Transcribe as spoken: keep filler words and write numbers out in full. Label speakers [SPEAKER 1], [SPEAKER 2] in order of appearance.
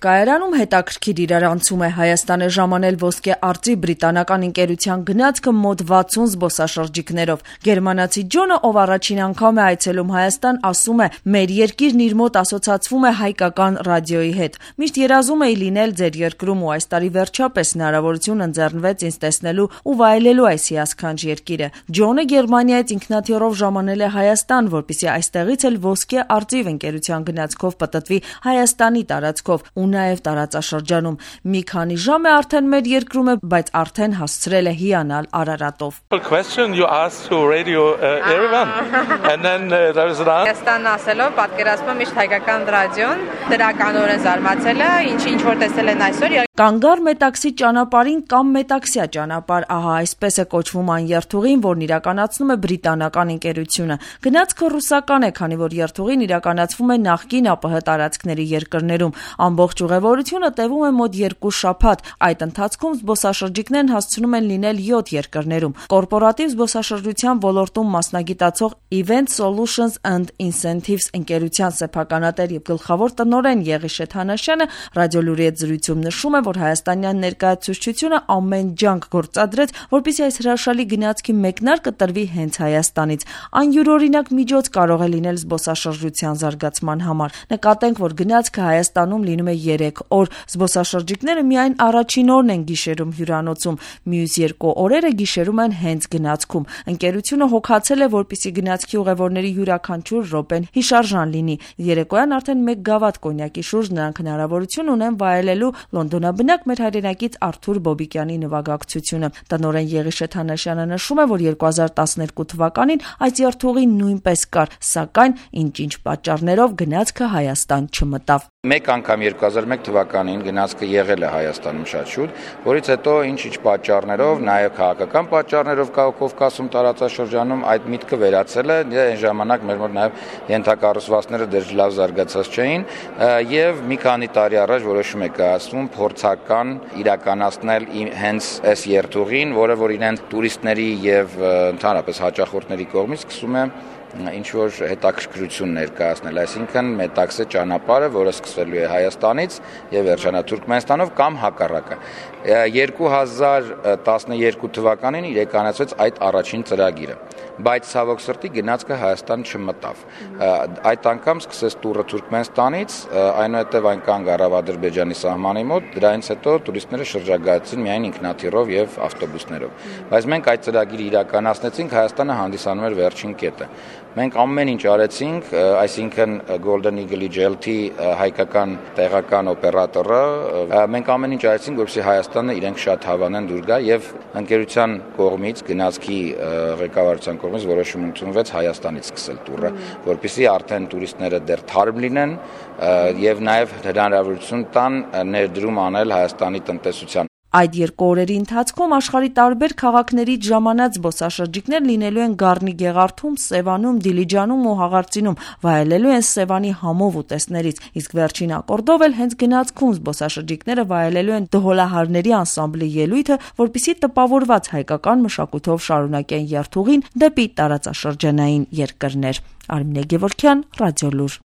[SPEAKER 1] Կայարանում հետաքրքիր իրարանցում է Հայաստան է ժամանել ոսկե արծի բրիտանական ընկերության գնացքը մոտ վաթսուն զբոսաշրջիկներով։ Գերմանացի Ջոնը, ով առաջին անգամ է այցելում Հայաստան, ասում է՝ մեր երկիրն իր մոտ ասոցացվում է հայկական ռադիոյի հետ։ Միշտ երազում էի լինել ձեր երկրում ու այս տարի վերջապես հնարավորություն ընձեռնվեց ինձ տեսնելու ու վայելելու այս հիասքանչ երկիրը։ Ջոնը Գերմանիայից ինքնաթիռով ժամանել է Հայաստան, որպեսզի այստեղից էլ ոսկե արծիվ ընկերության գնացքով պտտվի Հայաստանի տարածքով ու նաև տարածաշրջանում։ Մի քանի ժամ է արդեն մեր երկրում է, բայց արդեն հասցրել է հիանալ Արարատով։
[SPEAKER 2] Հայաստանն ասելով պատկերացնում եմ միշտ հայկական ռադիոն, դրականորեն զարմացել է, ինչ-ինչ որ տեսել են այսօր։
[SPEAKER 1] Կանգար Մետաքսի ճանապարհին կամ Մետաքսյա ճանապարհ, ահա այսպես է կոչվում այն երթուղին, որն իրականացնում է բրիտանական ընկերությունը։ Գնացքը ռուսական է, քանի որ երթուղին իրականացվում է նախկին ԱՊՀ տարածքների երկրներում։ Ամբողջ ուղևորությունը տևում է մոտ երկու շաբաթ։ Այդ ընթացքում զբոսաշրջիկներն հասցնում են լինել յոթ երկրներում։ Կորպորատիվ զբոսաշրջության ոլորտում մասնագիտացող Event Solutions and Incentives ընկերության սեփականատեր եւ գլխավոր տնօրեն Եղիշե Թանաշյանը ռադիոլուրի հետ զրույցում նշում է, որ հայաստանյան ներկայացուցչությունը ամեն ջանք գործադրեց, որպեսզի այս հրաշալի գնացքի մեկնարկը տրվի հենց Հայաստանից։ Այն յուրօրինակ միջոց կարող է լինել զբոսաշրջության զարգացման համար։ Նկատենք, որ գնացքը Հայաստանում լինում է երեք օր։ Զբոսաշրջիկները միայն առաջին օրն են գիշերում հյուրանոցում, մյուս երկու օրերը գիշերում են հենց գնացքում։ Ընկերությունը հոգացել է, որպեսզի գնացքի ուղևորների յուրաքանչյուր րոպեն հիշարժան լինի։ Երեկոյան արդեն մեկ գավաթ կոնյակի շուրջ նրանք հնարավորություն ունեն վայելելու լոնդոնաբնակ մեր հայրենակից Արթուր Բոբիկյանի նվագակցությունը։ Տնօրեն Եղիշե Թանաշյանը նշում է, որ երկու հազար տասներկու թվականին այս երթուղին նույնպես կար, սակայն ինչ-ինչ պատճառներով գնացքը Հայաստան չմտավ։
[SPEAKER 3] Մեկ անգամ երկու հազար մեկ թվականին գնացքը եղել է Հայաստանում շատ շուտ, որից հետո ինչ-ինչ պատճառներով, նաև քաղաքական պատճառներով Կովկասում տարածաշրջանում այդ միտքը վերացել է, այն ժամանակ մեր մոտ նաև ենթակառուցվածքները դեռ լավ զարգացած չէին, եւ մի քանի տարի առաջ որոշում է կայացվում փորձական իրականացնել հենց այս երթուղին, որը որ իրեն տուրիստների եւ ընդհանրապես հաճախորդների կողմից սկսում է ինչ որ հետաքրքրություն ներկայացնել, այսինքն Մետաքսե ճանապարհը, որը սկսվելու է Հայաստանից եւ վերջանա Թուրքմենստանով կամ հակառակը։ երկու հազար տասներկու թվականին իրականացվեց այդ առաջին ծրագիրը, բայց ցավոք սրտի գնացքը Հայաստան չմտավ։ Այդ անգամ սկսեց տուրը Թուրքմենստանից, այնուհետև այն կանգ առավ Ադրբեջանի սահմանի մոտ, դրանից հետո տուրիստները շրջագայացին միայն ինքնաթիռով եւ ավտոբուսներով։ Բայց մենք այդ ծրագիրը իրականացնեցինք, Հայաստանը հանդիսանում էր վերջին կետը։ Մենք ամեն ինչ արեցինք, այսինքն Golden Eagle-ի J L T հայկական տեղական օպերատորը, մենք ամեն ինչ արեցինք, որպեսզի Հայաստանը իրենք շատ հավանեն դուր գա եւ ընկերության կողմից գնացքի ղեկավարության կողմից որոշում ընդունվեց Հայաստանից սկսել տուրը, որպեսզի արդեն տուրիստները դեռ թարմ լինեն եւ նաեւ հնարավորություն տան ներդրում անել Հայաստանի տնտեսության։
[SPEAKER 1] Այդ երկու օրերի ընթացքում աշխարհի տարբեր քաղաքներից ժամանած զբոսաշրջիկներ լինելու են Գառնի Գեղարդում, Սևանում, Դիլիջանում ու Հաղարծինում, վայելելու են Սևանի համով ուտեստներից, իսկ վերջին ակորդով էլ հենց գնացքում զբոսաշրջիկները վայելելու են Դհոլահարների անսամբլի ելույթը, որպեսզի տպավորված հայկական մշակույթով շարունակեն երթուղին դեպի տարածաշրջանային երկրներ։ Արմինե Գևորգյան, Ռադիոլուր։